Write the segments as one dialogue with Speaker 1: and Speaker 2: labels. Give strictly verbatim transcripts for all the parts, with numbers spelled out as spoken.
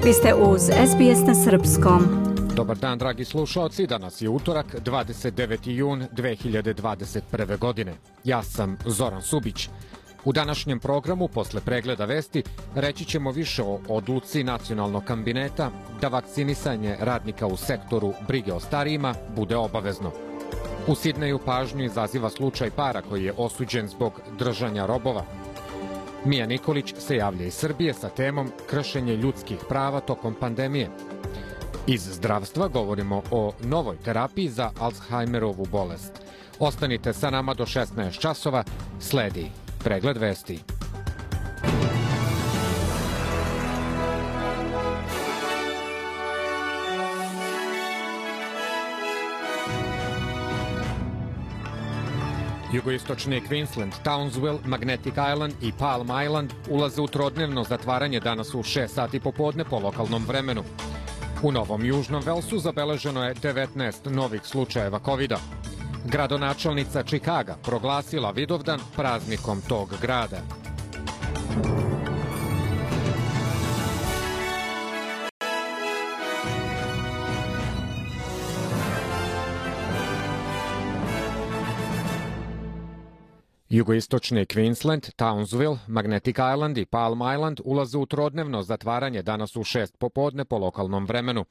Speaker 1: Vi ste uz S B S na srpskom.
Speaker 2: Dobar dan, dragi slušalci. Danas je utorak, dvadeset deveti jun dve hiljade dvadeset prve. godine. Ja sam Zoran Subić. U današnjem programu, posle pregleda vesti, reći ćemo više o odluci nacionalnog kabineta da vakcinisanje radnika u sektoru brige o starijima bude obavezno. U Sidneju pažnju izaziva slučaj para koji je osuđen zbog držanja robova. Mija Nikolić se javlja iz Srbije sa temom kršenje ljudskih prava tokom pandemije. Iz zdravstva govorimo o novoj terapiji za Alzheimerovu bolest. Ostanite sa nama do šesnaest časova, sledi pregled vesti. Jugoistočni Queensland, Townsville, Magnetic Island i Palm Island ulaze u trodnevno zatvaranje danas u šest sati popodne po lokalnom vremenu. U Novom Južnom Velsu zabeleženo je devetnaest novih slučajeva kovida. Gradonačelnica Čikaga proglasila Vidovdan praznikom tog grada. Jugoistočni Queensland, Townsville, Magnetic Island i Palm Island ulaze u trodnevno zatvaranje danas u šest popodne po lokalnom vremenu.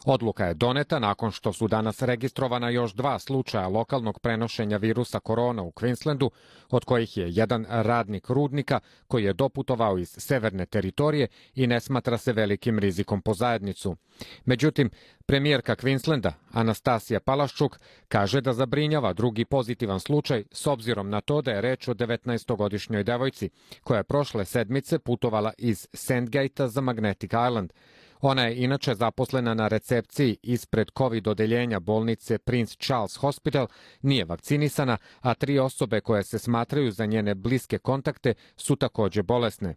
Speaker 2: Odluka je doneta nakon što su danas registrovana još dva slučaja lokalnog prenošenja virusa korona u Queenslandu, od kojih je jedan radnik rudnika koji je doputovao iz severne teritorije i ne smatra se velikim rizikom po zajednicu. Međutim, premijerka Queenslanda, Anastasija Palaščuk, kaže da zabrinjava drugi pozitivan slučaj s obzirom na to da je reč o devetnaestogodišnjoj devojci koja je prošle sedmice putovala iz Sandgate-a za Magnetic Island. Ona je inače zaposlena na recepciji ispred COVID odeljenja bolnice Prince Charles Hospital, nije vakcinisana, a tri osobe koje se smatraju za njene bliske kontakte su takođe bolesne.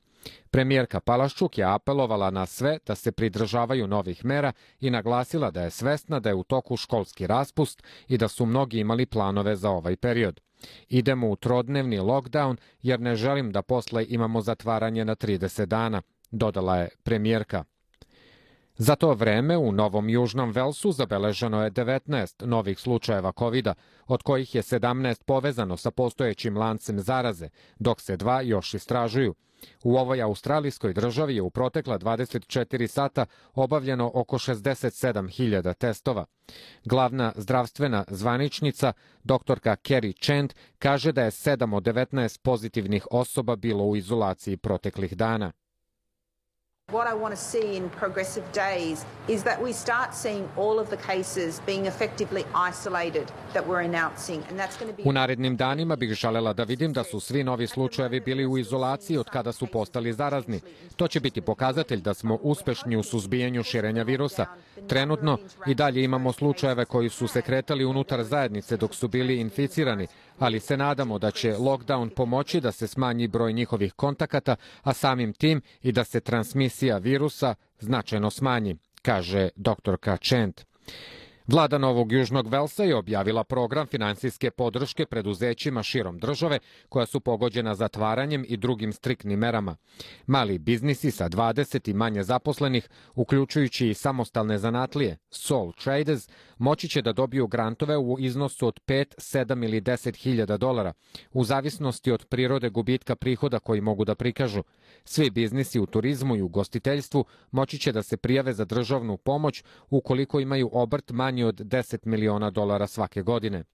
Speaker 2: Premijerka Palaščuk je apelovala na sve da se pridržavaju novih mera i naglasila da je svesna da je u toku školski raspust i da su mnogi imali planove za ovaj period. Idemo u trodnevni lockdown jer ne želim da posle imamo zatvaranje na trideset dana, dodala je premijerka. Za to vreme u Novom Južnom Velsu zabeleženo je devetnaest novih slučajeva kovida, od kojih je sedamnaest povezano sa postojećim lancem zaraze, dok se dva još istražuju. U ovoj australijskoj državi je u protekla dvadeset četiri sata obavljeno oko šezdeset sedam hiljada testova. Glavna zdravstvena zvaničnica, doktorka Kerry Chant, kaže da je sedam od devetnaest pozitivnih osoba bilo u izolaciji proteklih dana.
Speaker 3: What I want to see in progressive days is that we start seeing all of the cases being effectively isolated that we're announcing, and that's going to be...
Speaker 2: U narednim danima bih želela da vidim da su svi novi slučajevi bili u izolaciji od kada su postali zarazni. To će biti pokazatelj da smo uspešni u suzbijanju širenja virusa. Trenutno i dalje imamo slučajeve koji su se kretali unutar zajednice dok su bili inficirani, ali se nadamo da će lockdown pomoći da se smanji broj njihovih kontakata, a samim tim i da se transmisija virusa značajno smanji, kaže doktorka Chant. Vlada Novog Južnog Velsa je objavila program finansijske podrške preduzećima širom države koja su pogođena zatvaranjem i drugim striktnim merama. Mali biznisi sa dvadeset i manje zaposlenih, uključujući i samostalne zanatlije, sole traders, moći će da dobiju grantove u iznosu od pet, sedam ili deset hiljada dolara, u zavisnosti od prirode gubitka prihoda koji mogu da prikažu. Svi biznisi u turizmu i ugostiteljstvu moći će da se prijave za državnu pomoć ukoliko imaju obrt manji od deset miliona dolara svake godine.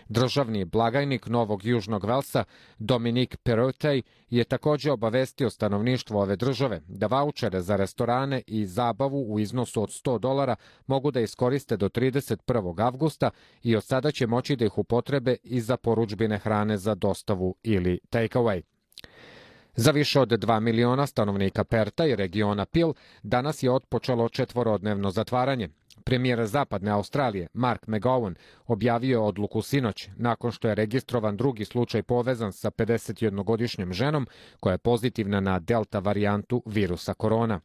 Speaker 2: Državni blagajnik Novog Južnog Velsa, Dominic Perrottet, je takođe obavestio stanovništvo ove države da vaučere za restorane i zabavu u iznosu od sto dolara mogu da iskoriste do trideset prvog avgusta i od sada će moći da ih upotrebe i za porudžbine hrane za dostavu ili take-away. Za više od dva miliona stanovnika Perta i regiona Peel danas je otpočelo četvorodnevno zatvaranje. Premijer Zapadne Australije, Mark McGowan, objavio je odluku sinoć, nakon što je registrovan drugi slučaj povezan sa pedesetjednogodišnjom ženom koja je pozitivna na delta varijantu virusa korona.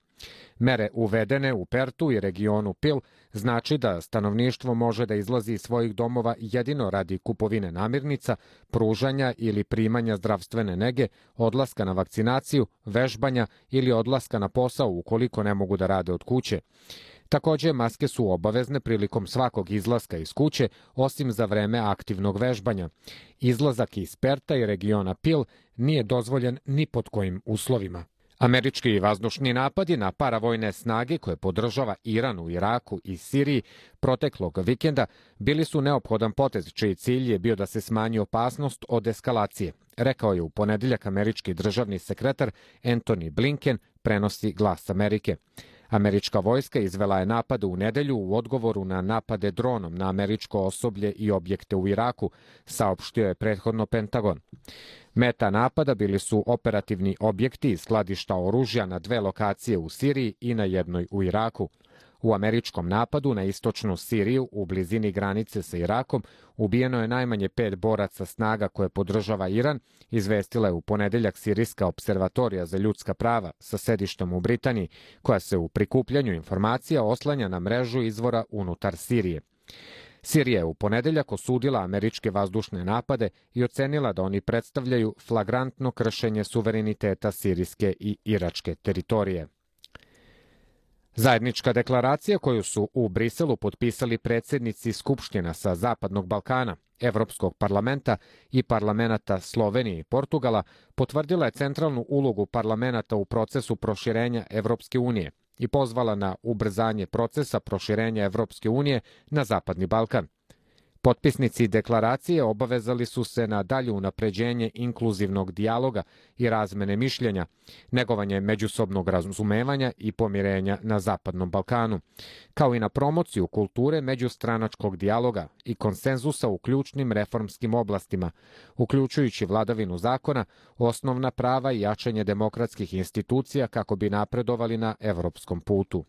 Speaker 2: Mere uvedene u Pertu i regionu Pil znači da stanovništvo može da izlazi iz svojih domova jedino radi kupovine namirnica, pružanja ili primanja zdravstvene nege, odlaska na vakcinaciju, vežbanja ili odlaska na posao ukoliko ne mogu da rade od kuće. Takođe, maske su obavezne prilikom svakog izlaska iz kuće, osim za vreme aktivnog vežbanja. Izlazak iz Perta i regiona Pil nije dozvoljen ni pod kojim uslovima. Američki vazdušni napadi na paravojne snage koje podržava Iran u Iraku i Siriji proteklog vikenda bili su neophodan potez čiji cilj je bio da se smanji opasnost od eskalacije, rekao je u ponedeljak američki državni sekretar Antony Blinken, prenosi Glas Amerike. Američka vojska izvela je napade u nedelju u odgovoru na napade dronom na američko osoblje i objekte u Iraku, saopštio je prethodno Pentagon. Meta napada bili su operativni objekti i skladišta oružja na dve lokacije u Siriji i na jednoj u Iraku. U američkom napadu na istočnu Siriju u blizini granice sa Irakom ubijeno je najmanje pet boraca snaga koje podržava Iran, izvestila je u ponedeljak Sirijska observatorija za ljudska prava sa sedištem u Britaniji, koja se u prikupljanju informacija oslanja na mrežu izvora unutar Sirije. Sirija je u ponedeljak osudila američke vazdušne napade i ocenila da oni predstavljaju flagrantno kršenje suvereniteta sirijske i iračke teritorije. Zajednička deklaracija koju su u Briselu potpisali predsjednici Skupština sa Zapadnog Balkana, Evropskog parlamenta i parlamenta Slovenije i Portugala potvrdila je centralnu ulogu parlamenta u procesu proširenja Evropske unije i pozvala na ubrzanje procesa proširenja Evropske unije na Zapadni Balkan. Potpisnici deklaracije obavezali su se na dalje unapređenje inkluzivnog dijaloga i razmene mišljenja, negovanje međusobnog razumevanja i pomirenja na Zapadnom Balkanu, kao i na promociju kulture međustranačkog dijaloga i konsenzusa u ključnim reformskim oblastima, uključujući vladavinu zakona, osnovna prava i jačanje demokratskih institucija kako bi napredovali na evropskom putu.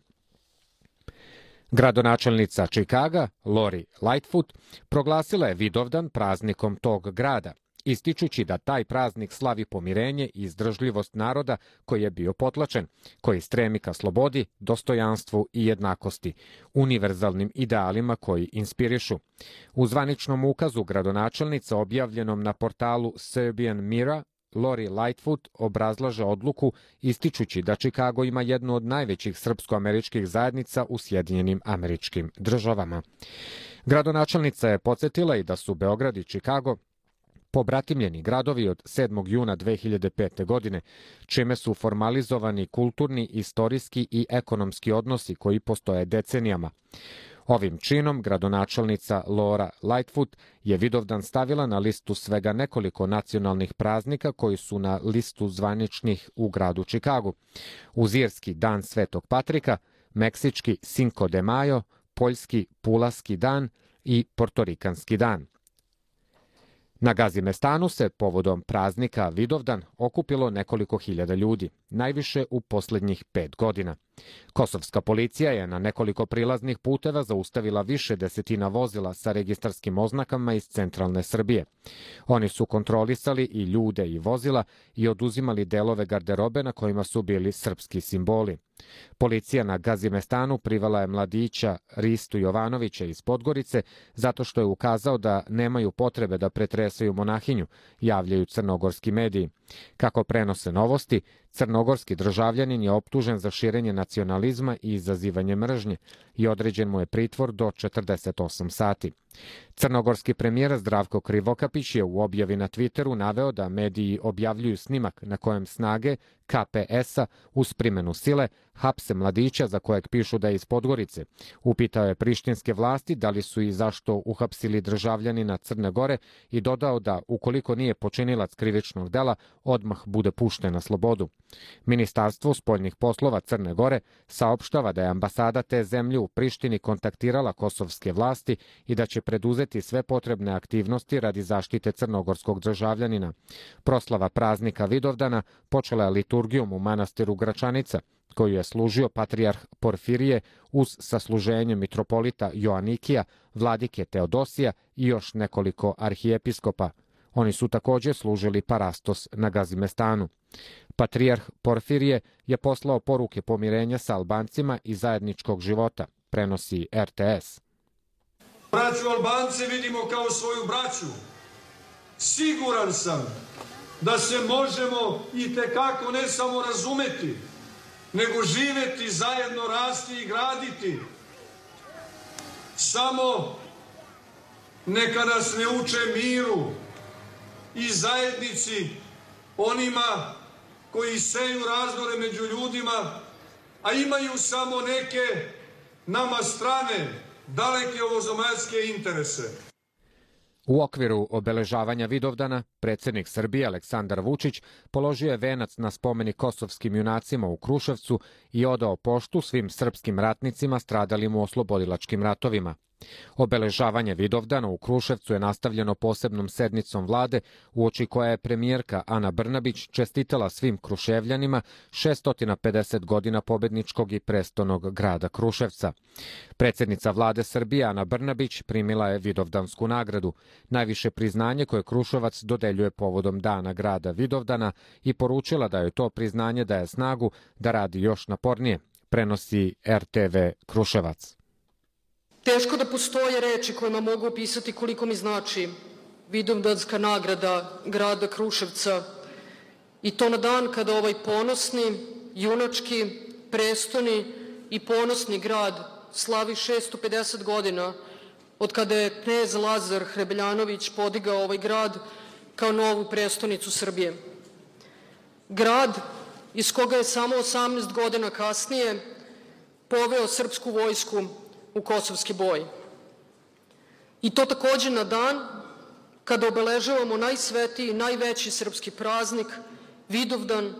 Speaker 2: Gradonačelnica Čikaga, Lori Lightfoot, proglasila je Vidovdan praznikom tog grada, ističući da taj praznik slavi pomirenje i izdržljivost naroda koji je bio potlačen, koji stremi ka slobodi, dostojanstvu i jednakosti, univerzalnim idealima koji inspirišu. U zvaničnom ukazu gradonačelnica objavljenom na portalu Serbian Mirror, Lori Lightfoot obrazlaže odluku ističući da Čikago ima jednu od najvećih srpsko-američkih zajednica u Sjedinjenim Američkim Državama. Gradonačelnica je podsjetila i da su Beograd i Čikago pobratimljeni gradovi od sedmog juna dve hiljade pete. godine, čime su formalizovani kulturni, istorijski i ekonomski odnosi koji postoje decenijama. Ovim činom gradonačelnica Laura Lightfoot je Vidovdan stavila na listu svega nekoliko nacionalnih praznika koji su na listu zvaničnih u gradu Čikagu. Uz irski dan Svetog Patrika, meksički Cinco de Mayo, poljski Pulaski dan i portorikanski dan. Na Gazimestanu se povodom praznika Vidovdan okupilo nekoliko hiljada ljudi, najviše u posljednjih pet godina. Kosovska policija je na nekoliko prilaznih puteva zaustavila više desetina vozila sa registarskim oznakama iz centralne Srbije. Oni su kontrolisali i ljude i vozila i oduzimali delove garderobe na kojima su bili srpski simboli. Policija na Gazimestanu privela je mladića Ristu Jovanovića iz Podgorice zato što je ukazao da nemaju potrebe da pretresaju monahinju, javljaju crnogorski mediji. Kako prenose novosti, crnogorski državljanin je optužen za širenje nacionalizma i izazivanje mržnje i određen mu je pritvor do četrdeset osam sati. Crnogorski premijer Zdravko Krivokapić je u objavi na Twitteru naveo da mediji objavljuju snimak na kojem snage K P S-a uz primenu sile hapse mladića za kojeg pišu da je iz Podgorice. Upitao je prištinske vlasti da li su i zašto uhapsili državljanina Crne Gore i dodao da ukoliko nije počinilac krivičnog dela, odmah bude pušten na slobodu. Ministarstvo spoljnih poslova Crne Gore saopštava da je ambasada te zemlje u Prištini kontaktirala kosovske vlasti i da će preduzeti sve potrebne aktivnosti radi zaštite crnogorskog državljanina. Proslava praznika Vidovdana počela je liturgijom u manastiru Gračanica, koju je služio patrijarh Porfirije uz sasluženje mitropolita Joanikija, vladike Teodosija i još nekoliko arhijepiskopa. Oni su također služili parastos na Gazimestanu. Patrijarh Porfirije je poslao poruke pomirenja sa Albancima i zajedničkog života, prenosi R T S.
Speaker 4: Braću Albance vidimo kao svoju braću. Siguran sam da se možemo i tekako ne samo razumeti, nego živeti zajedno, rasti i graditi. Samo neka nas ne uče miru i zajednici onima koji seju razdore među ljudima, a imaju samo neke nama strane, daleke ovozemaljske interese.
Speaker 2: U okviru obeležavanja Vidovdana, predsjednik Srbije Aleksandar Vučić položio je venac na spomenik kosovskim junacima u Kruševcu i odao poštu svim srpskim ratnicima stradalim u oslobodilačkim ratovima. Obeležavanje Vidovdana u Kruševcu je nastavljeno posebnom sednicom vlade, uoči koja je premijerka Ana Brnabić čestitala svim Kruševljanima šessto pedeset godina pobedničkog i prestonog grada Kruševca. Predsjednica vlade Srbije Ana Brnabić primila je Vidovdansku nagradu, najviše priznanje koje Kruševac dodeljuje povodom dana grada Vidovdana, i poručila da joj to priznanje daje snagu da radi još napornije, prenosi R T V Kruševac.
Speaker 5: Teško da postoje reči kojima mogu opisati koliko mi znači Vidovdanska nagrada grada Kruševca, i to na dan kada ovaj ponosni, junački, prestoni i ponosni grad slavi šessto pedeset godina od kada je knez Lazar Hrebeljanović podigao ovaj grad kao novu prestonicu Srbije. Grad iz koga je samo osamnaest godina kasnije poveo srpsku vojsku u kosovski boj. I to također na dan kada obeležavamo najsvetiji, najveći srpski praznik, Vidovdan,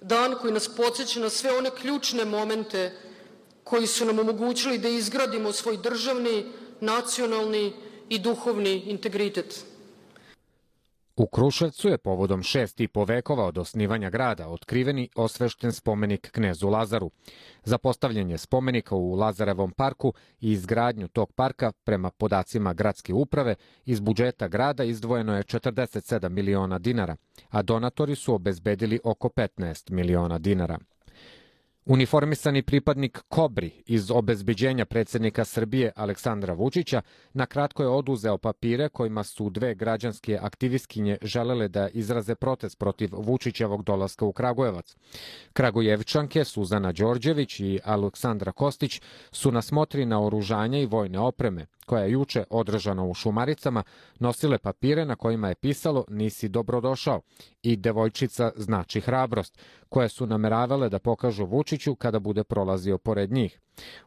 Speaker 5: dan koji nas podsjeća na sve one ključne momente koji su nam omogućili da izgradimo svoj državni, nacionalni i duhovni integritet.
Speaker 2: U Kruševcu je povodom šest i po vekova od osnivanja grada otkriveni osvešten spomenik knezu Lazaru. Za postavljanje spomenika u Lazarevom parku i izgradnju tog parka, prema podacima gradske uprave, iz budžeta grada izdvojeno je četrdeset sedam miliona dinara, a donatori su obezbedili oko petnaest miliona dinara. Uniformisani pripadnik Kobri iz obezbeđenja predsjednika Srbije Aleksandra Vučića nakratko je oduzeo papire kojima su dve građanske aktivistkinje želele da izraze protest protiv Vučićevog dolaska u Kragujevac. Kragujevčanke Suzana Đorđević i Aleksandra Kostić su na smotri naoružanja i vojne opreme, koja je juče održana u Šumaricama, nosile papire na kojima je pisalo "Nisi dobrodošao" i "Devojčica znači hrabrost", koje su nameravale da pokažu Vučiću kada bude prolazio pored njih.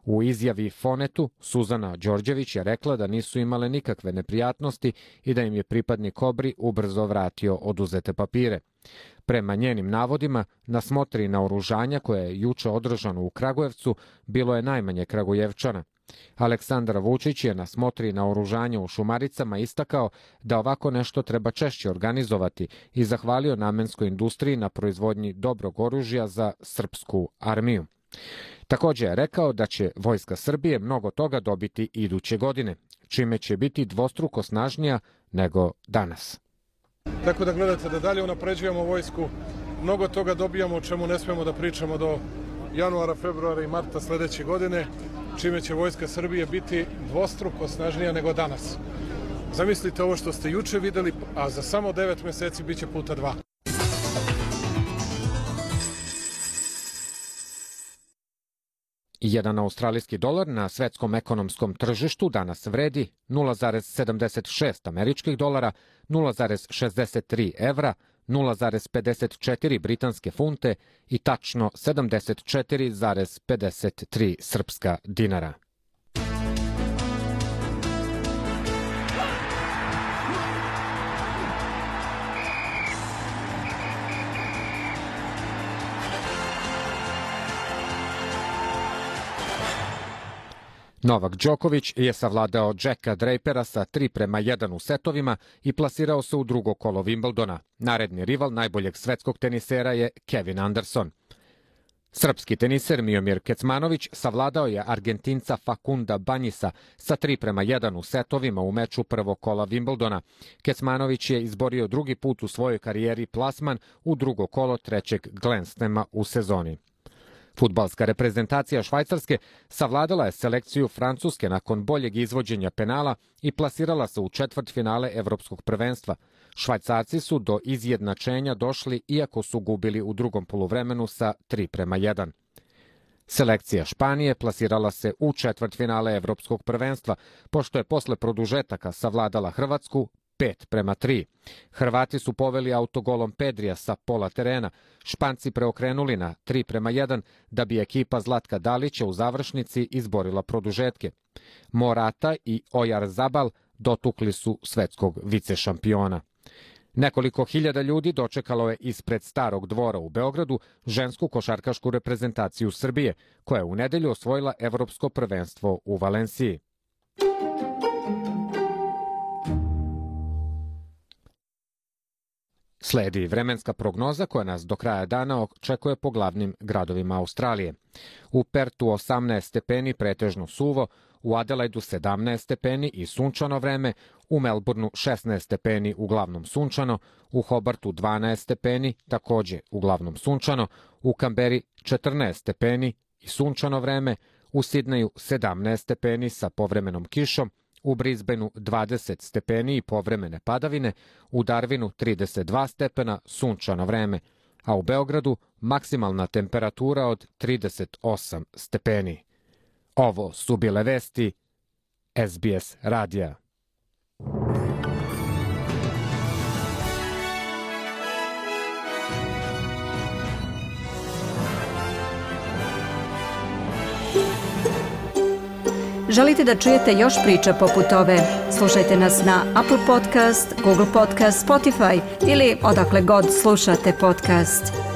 Speaker 2: U izjavi Fonetu, Suzana Đorđević je rekla da nisu imale nikakve neprijatnosti i da im je pripadnik Kobri ubrzo vratio oduzete papire. Prema njenim navodima, na smotri naoružanja koje je juče održano u Kragujevcu bilo je najmanje Kragujevčana. Aleksandar Vučić je na smotri naoružanja u Šumaricama istakao da ovako nešto treba češće organizovati i zahvalio namenskoj industriji na proizvodnji dobrog oružja za srpsku armiju. Također je rekao da će Vojska Srbije mnogo toga dobiti iduće godine, čime će biti dvostruko snažnija nego danas.
Speaker 6: Tako da gledate da dalje unapređujemo vojsku, mnogo toga dobijamo o čemu ne smemo da pričamo do januara, februara i marta sledeće godine, čime će Vojska Srbije biti dvostruko snažnija nego danas. Zamislite ovo što ste juče videli, a za samo devet meseci bit će puta dva.
Speaker 2: Jedan australijski dolar na svetskom ekonomskom tržištu danas vredi nula zarez sedamdeset šest američkih dolara, nula zarez šezdeset tri evra, nula zarez pedeset četiri britanske funte i tačno sedamdeset četiri zarez pedeset tri srpska dinara. Novak Đoković je savladao Jacka Drapera sa tri prema jedan u setovima i plasirao se u drugo kolo Wimbledona. Naredni rival najboljeg svetskog tenisera je Kevin Anderson. Srpski teniser Miomir Kecmanović savladao je Argentinca Facunda Banjisa sa tri prema jedan u setovima u meču prvog kola Wimbledona. Kecmanović je izborio drugi put u svojoj karijeri plasman u drugo kolo trećeg Grand Slama u sezoni. Fudbalska reprezentacija Švajcarske savladala je selekciju Francuske nakon boljeg izvođenja penala i plasirala se u četvrtfinale Evropskog prvenstva. Švajcarci su do izjednačenja došli iako su gubili u drugom poluvremenu sa tri prema jedan. Selekcija Španije plasirala se u četvrtfinale Evropskog prvenstva, pošto je posle produžetaka savladala Hrvatsku pet prema tri. Hrvati su poveli autogolom Pedrija sa pola terena, Španci preokrenuli na tri prema jedan, da bi ekipa Zlatka Dalića u završnici izborila produžetke. Morata i Oyarzabal dotukli su svetskog vicešampiona. Nekoliko hiljada ljudi dočekalo je ispred Starog dvora u Beogradu žensku košarkašku reprezentaciju Srbije, koja je u nedelju osvojila Evropsko prvenstvo u Valenciji. Sledi vremenska prognoza koja nas do kraja dana očekuje po glavnim gradovima Australije. U Pertu osamnaest stepeni pretežno suvo, u Adelaidu sedamnaest stepeni i sunčano vreme, u Melbourneu šesnaest stepeni uglavnom sunčano, u Hobartu dvanaest stepeni, takođe uglavnom sunčano, u Kamberi četrnaest stepeni i sunčano vreme, u Sidneju sedamnaest stepeni sa povremenom kišom, u Brisbaneu dvadeset stepeni i povremene padavine, u Darwinu trideset dva stepena, sunčano vreme, a u Beogradu maksimalna temperatura od trideset osam stepeni. Ovo su bile vesti S B S radija.
Speaker 1: Želite da čujete još priča poput ove? Slušajte nas na Apple Podcast, Google Podcast, Spotify ili odakle god slušate podcast.